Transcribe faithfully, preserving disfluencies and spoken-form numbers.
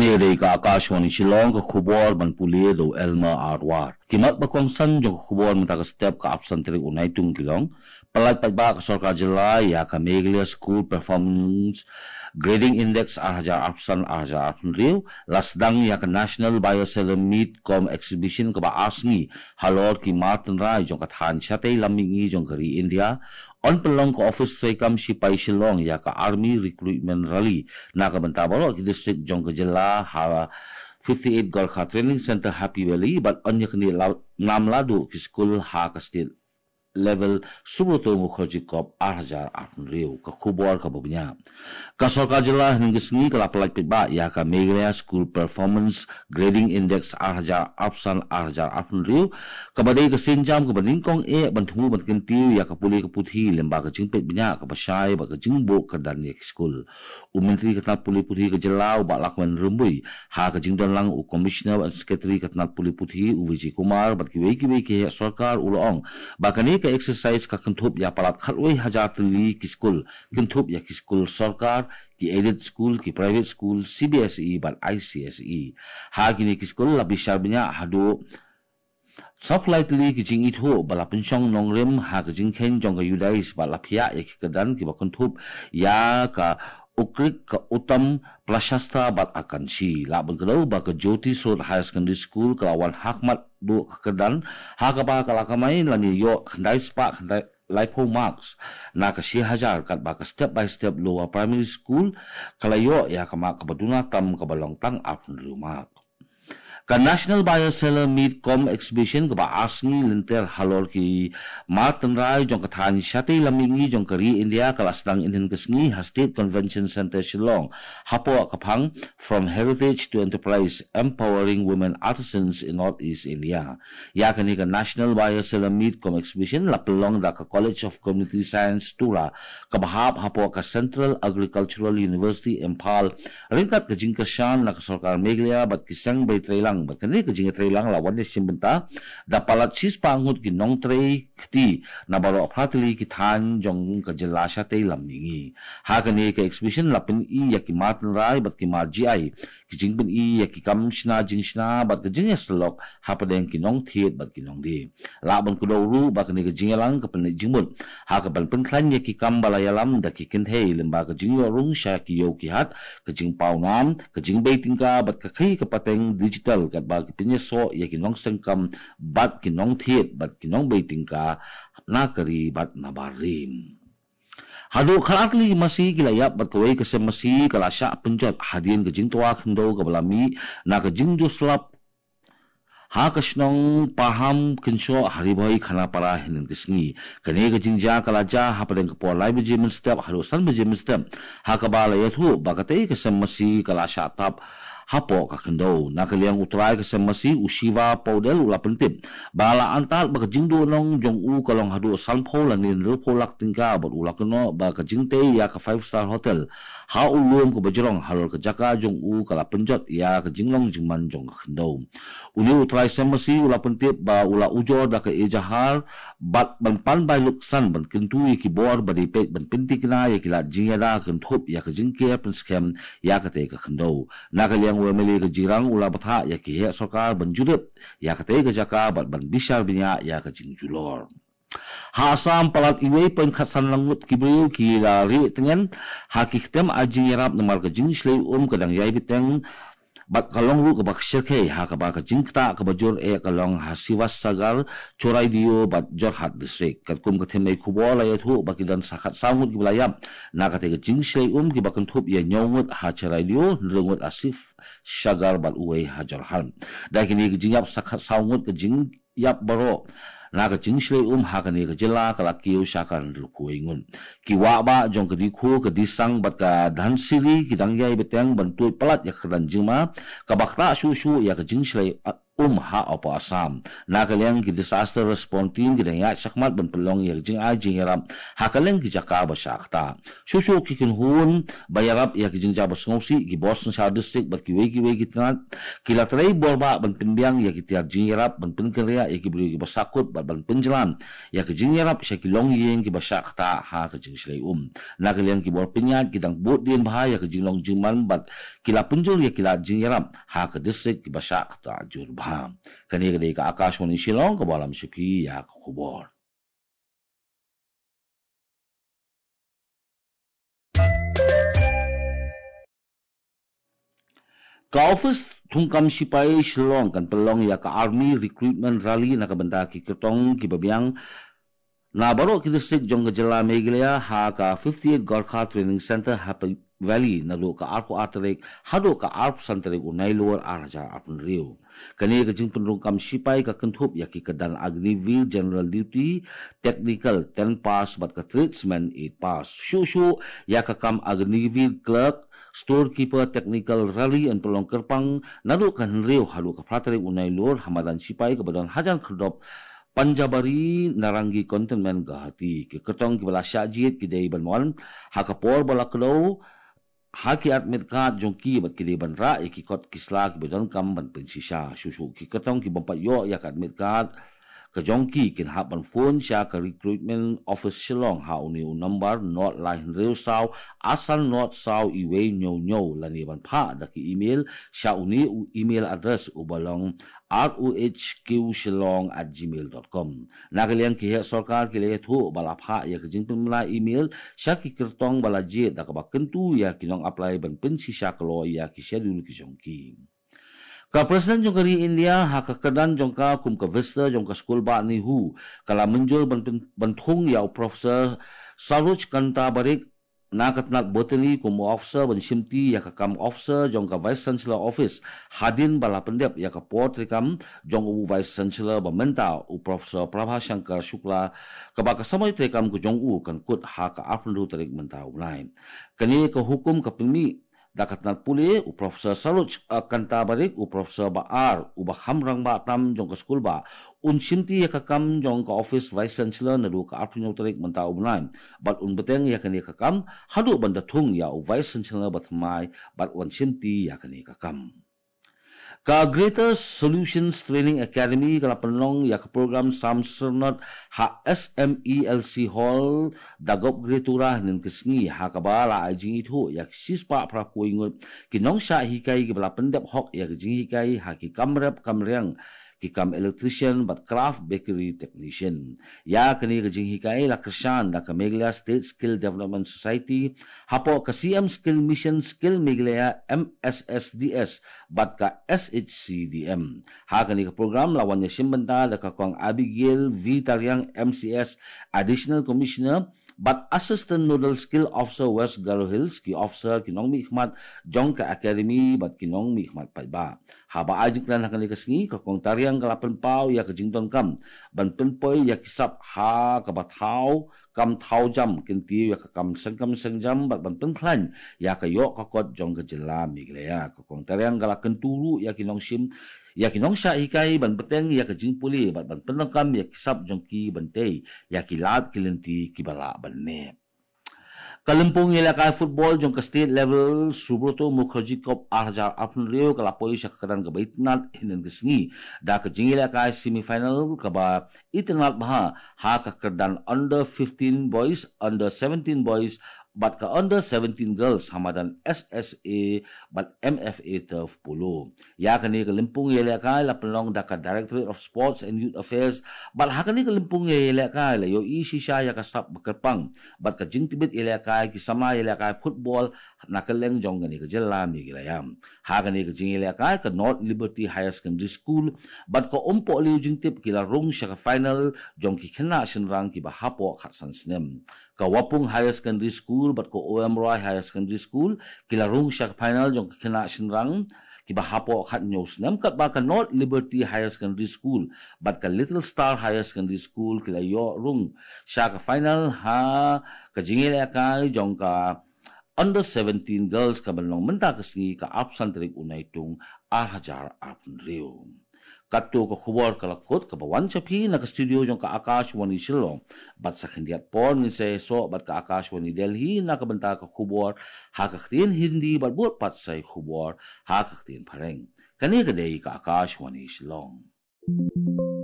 Ïa dei ka Akashvani Shillong, ka khubor ban pule da u Elmer Arwar. Ki mat ba kongsan jong ka khubor mynta ka step, ka arphew san tarik u Naitung, ki long: Pyllait paidbah ka sorkar jylla ïa ka Meghalaya School Performance Grading Index ar hajar arphew san ar hajar arphew hynriew. La sdang ïa ka National Buyer Seller Meet cum Exhibition kaba ar sngi halor ki mar tynrai jong ka thaiñ shatei lam mihngi jong ka ri India. Yn pynlong ka ophis treikam shipai Shillong ïa ka Army Recruitment Rally na ka bynta baroh ki district jong ka jylla ha fifty-eight Gorkha Training Centre, Happy Valley, bad yn ïa kane la nam la duh ki skul ha ka state level Subroto Mukherjee Cup ar hajar arphew hynriew. Ka khubor kaba bniah. Ka sorkar jylla hynne ka sngi ka la pyllait paidbah ïa ka Meghalaya School Performance Grading Index ar hajar arphew san ar hajar arphew hynriew, kaba dei ka sienjam kaba nyngkong eh ban thmu ban kyntiew ïa ka pule ka puthi lyngba ka jingpeit bniah kaba shai bad ka jingbuh kyrdan ïa ki skul. U Myntri ka tnat pule puthi ka jylla, u Bah Lakmen Rymbui, ha ka jingdon lang u Commissioner and Secretary ka tnat pule puthi, u Vijay Kumar, bad kiwei kiwei ki heh sorkar, u la ong ba kane ka exercise ka kynthup ïa palat khatwei hajar tylli ki skul, kynthup ïa ki skul sorkar, ki aided school, ki private school, C B S E bad I C S E. Ha kine ki skul la bishar bniah haduh sawphew lai tylli ki jingithuh ba la pynshong nongrim ha ka jingkheiñ jong ka Judais bad la phiah ïa ki kyrdan kiba kynthup ïa ka Ukrit, ka Uttam, Prashasta bad Akanshi. Lah ban kdew ba ka Jyoti Surot Higher Secondary School ka la wan ha khmat duh ka kyrdan ha kaba ka la kamai lane ïoh khyndai spah khyndai laiphew marks na ka shi hajar, katba ka Step by Step Lower Primary School ka la ïoh ïa ka mark kaba duna tam kaba long tang arphew hynriew mark. Ka National Buyer Seller Meet cum Exhibition kaba ar sngi lynter halor ki mar tynrai jong ka thaiñ shatei lam mihngi jong ka ri India ka la sdang hynne ka sngi ha State Convention Centre Shillong, hapoh ka phang From Heritage to Enterprise: Empowering Women Artisans in Northeast India. Ïa kane ka National Buyer Seller Meet cum Exhibition la pynlong da ka College of Community Science, Tura, kaba hap hapoh ka Central Agricultural University, Imphal, ryngkat ka jingkyrshan na ka sorkar Meghalaya bad ki seng bai treilang. Bad kane ka jingtreilang la wan ïashim bynta da palat shispah ngut ki nongtrei kti na baroh phra tylli ki thaiñ jong ka jylla shatei lam mihngi. Ha kane ka exhibition la pyni ïa ki mar tynrai bad ki mar G I, ki jingpyni ïa ki kam shna jingshna bad ka jingïasyllok hapdeng ki nongthied bad ki nongdie. Lah ban kdew ruh ba kane ka jingïalang ka pynleit jingmut ha kaban pynkhlaiñ ïa ki kam ba la ïalam da ki kynthei lyngba ka jingïoh rung sha ki ïew ki hat, ka jingpaw nam, ka jingbei tyngka bad ka khaïi ka pateng digital, katba ki pynïasoh ïa ki nongseng kam bad ki nongthied bad ki nongbei tyngka na ka ri bad na bar ri. Haduh khatar tylli ki masi ki la ïap bad kawei ka sem masi ka la shah pynjot hadien ka jingtwa khyndew kaba la mih na ka jingjuh slap ha ka shnong Paham Kynshoh ha Ri Bhoi Khanapara hynne ka sngi. Kane ka jingjia ka la jia hapdeng ka por lai baje mynstep haduh san baje mynstep, ha kaba la ïathuh ba katei ka sem masi ka la shah tap hapoh ka khyndew. Na ka liang u trai ka sem masi, u Shiva Paudel, u la pyntip ba la antad ba ka jingduhnong jong u ka long haduh sanphew lane hynriewphew lak tyngka bad u la kynnoh ba ka jingtei ïa ka five star hotel ha u lum kaba jrong halor ka jaka jong u ka la pynjot ïa ka jinglong jingman jong ka khyndew. Une u trai sem masi u la pyntip ba u la ujor da ka ejahar bad ban pan bai luksan ban kyntu ïa ki bor ba dei peit ban pynthikna ïa ki lad jingïada kynthup ïa ka jingker pynskhem ïa katei ka khyndew. Na ka liang u M L A ka Jirang u la bthah ïa ki heh sorkar ban jurip ïa katei ka jaka bad ban bishar bniah ïa ka jingjulor. Ha Assam, palat uwei point khatsan lang ngut ki briew ki la rieh tngen ha ki kyntem ai jingïarap namar ka jingshlei um ka dang ïai bteng bad ka long ruh kaba shyrkhei ha kaba ka jingktah kaba jur eh ka long ha Sivassagar, Choraidio bad Jorhat district. Katkum ka theme khubor la ïathuh ba ki don sa khatsaw ngut kiba la ïap na katei ka jingshlei um, kiba kynthup ïa hynñiew ngut ha Choraidio, hynriew ngut ha Sivassagar bad uwei ha Jorhat. Da kine ki jingïap sa khatsaw ngut ka jing ïap baroh na ka jingshlei um ha kane ka jylla ka la kiew sha ka hynriewphew wei ngut. Ki wah bah jong ka Dikhu, ka Disang bad ka Dhansiri ki dang ïai bteng ban tuid palat ïa ka kyrdan jingma kaba ktah shuh shuh ïa ka jingshlei, ah, um ha Upper Assam. Na ka liang ki disaster response team ki dang ïaid shakhmat ban pynlong ïa ka jingai jingïarap ha kylleng ki jaka ba shah ktah. Shuh shuh ki kynhun ba ïarap ïa ki jingjia ba sngewsih, ki bor synshar district bad kiwei kiwei ki tnat, ki la trei borbah ban pynbiang ïa ki tiar jingïarap, ban pynkynriah ïa ki briew kiba sahkut bad ban pynjlan ïa ki jingïarap sha ki longïing kiba shah ktah ha ka jingshlei um. Na ka liang ki bor pynïaid ki dang bud dien bha ïa ka jinglong jingman bad ki la pynjur ïa ki lad jingïarap ha ka district kiba shah ktah jur bha. Kane ka dei ka Akashvani Shillong kaba lam sha phi ïa ka khubor. Ka office thungkam sipai Shillong kan pynlong ïa ka Army Recruitment Rally na ka bynta ki kyrtong kiba biang na baroh ki district jong ka jylla Meghalaya ha ka fifty-eight Gorkha Training Centre, Happy Valley, naduh ka arphew ar tarik haduh ka arphew san tarik u Nailur ar hajar arphew hynriew. Kane ka jingpynrung kam sipai ka kynthup ïa ki kyrdan Agniveer General Duty, Technical ten pass bad ka Tradesman eight pass. Shuh shuh ïa ka kam Agniveer Clerk, Storekeeper Technical Rally yn pynlong kyrpang naduh ka hynriew haduh ka phra tarik u Nailur ha madan sipai kaba don hajan khyrdop Panjabari Narangi Cantonment Guwahati. Ki kyrtong kiba la shah jied ki dei ban wan ha ka por ba la kdew ha ki admit card jong ki bad ki dei ban rah ïa ki kot ki sla kiba donkam ban pynshisha. Shuh shuh ki kyrtong ki bym pat ïoh ïa ka admit card ka jong ki kin hap ban phone sha ka Recruitment Office Shillong ha une u number nought lai hynriew saw arsan nought saw iwei hynñiew hynñiew lane ban phah da ki email sha une u email address uba long R O H Q Shillong at gmail dot com. Na ka liang ki heh sorkar ki la ïathuh ba la phah ïa ka jingpynbna email sha ki kyrtong ba la jied da kaba kyntu ïa ki nong apply ban pynshisha kloi ïa ki schedule ki jong ki. Ka President jong ka ri India ha ka kyrdan jong ka kum ka Visitor jong ka Skulbah NEHU ka la mynjur ban pyn-, ban thung ïa u Professor Saroj Kanta Barik na ka tnat Botany kum u officer ban shimti ïa ka kam officer jong ka Vice Chancellor Office hadien ba la pyndep ïa ka por treikam jong u Vice Chancellor ba mynta u Professor Prabha Shankar Shukla, kaba ka samoi treikam ka jong u kan kut ha ka arphew hynriew tarik mynta u bnai. Kane ka hukum ka pynmih da ka tnat pule u Professor Saroj, eh, Kanta Barik, u Professor ba ar uba kham rangbah tam jong ka Skulbah, un shimti ïa ka kam jong ka office Vice Chancellor naduh ka arphew hynñiew tarik mynta u bnai bad un bteng ïa kane ka kam haduh ban da thung ïa u Vice Chancellor ba thymmai bad un shimti ïa kane ka kam. Ka Greater Solutions Training Academy ka la pynlong ïa ka program Sam Syrnod ha S M E L C Hall, Dagop Greatura hynnin ka sngi, ha kaba la ai jingithuh ïa ki shispah phra phew ngut ki nongshah hikai kiba la pyndep hok ïa ka jinghikai ha ki kam rep kam riang, ki kam electrician bad craft bakery technician. Ïa kane ka jinghikai la kyrshan da ka Meghalaya State Skill Development Society hapoh ka C M Skill Mission, Skill Meghalaya, M S S D S bad ka S H C D M. Ha kane ka program la wan ïashim bynta da ka Kong Abigail V Tariang, M C S, Additional Commissioner bad Assistant Nodal Skill Officer West Garo Hills, ki officer, ki nongmihkhmat jong ka academy bad ki nongmihkhmat paidbah. Haba ai jingkren ha kane ka sngi, ka Kong Tariang ka la pynpaw ïa ka jingdonkam ban pynpoi ïa ki sap ha kaba thaw kam thaw jam, kyntiew ïa ka kam sengkam sengjam bad ban pynkhlaiñ ïa ka ïoh ka kot jong ka jylla Meghalaya. Ka Kong Tariang ka la kyntu ruh ïa ki nongshim, ïa ki nongshah hikai ban bteng ïa ka jingpule bad ban pyndonkam ïa ki sap jong ki ban tei ïa ki lad ki lynti kiba lah ban neh. Ka lympung ïalehkai football jong ka state level Subroto Mukherjee Cup ar hajar arphew hynriew ka la poi sha ka kyrdan kaba itynnad hynnin ka sngi da ka jingïalehkai semi final kaba itynnad bha ha ka kyrdan under fifteen boys, under seventeen boys bad ka under seventeen girls ha madan S S A bad M F A turf polo. Ïa kane ka lympung ïalehkai la pynlong da ka Directorate of Sports and Youth Affairs bad ha kane ka lympung ïalehkai la ïohi shisha ïa ka sap ba kyrpang bad ka jingtbit ïalehkai ki samla ïalehkai football na kylleng jong kane ka jylla Meghalaya. Ha kane ka jingïalehkai ka North Liberty Higher Secondary School bad ka Umpohliew Jingtip ki la rung sha ka final jong ki khynnah shynrang kiba hapoh khatsan snem. Ka Wapung Higher Secondary School bad ka O M Roy Higher Secondary School ki la rung sha ka final jong ki khynnah shynrang kiba hapoh khathynñiew snem, katba ka North Liberty Higher Secondary School bad ka Little Star Higher Secondary School ki la ïoh rung sha ka final ha ka jingïalehkai jong ka under seventeen girls ka ban long mynta ka sngi, ka arphew san tarik u Naitung ar hajar arphew hynriew. Katto ka khubor ka la kut kaba wan sha phi na ka studio jong ka Akashvani Shillong. Bad sa khyndiat por ngin sa ïasoh bad ka Akashvani Delhi na ka bynta ka khubor ha ka ktien Hindi bad bud pat sa ïa khubor ha ka ktien Phareng. Kane ka dei ka Akashvani Shillong.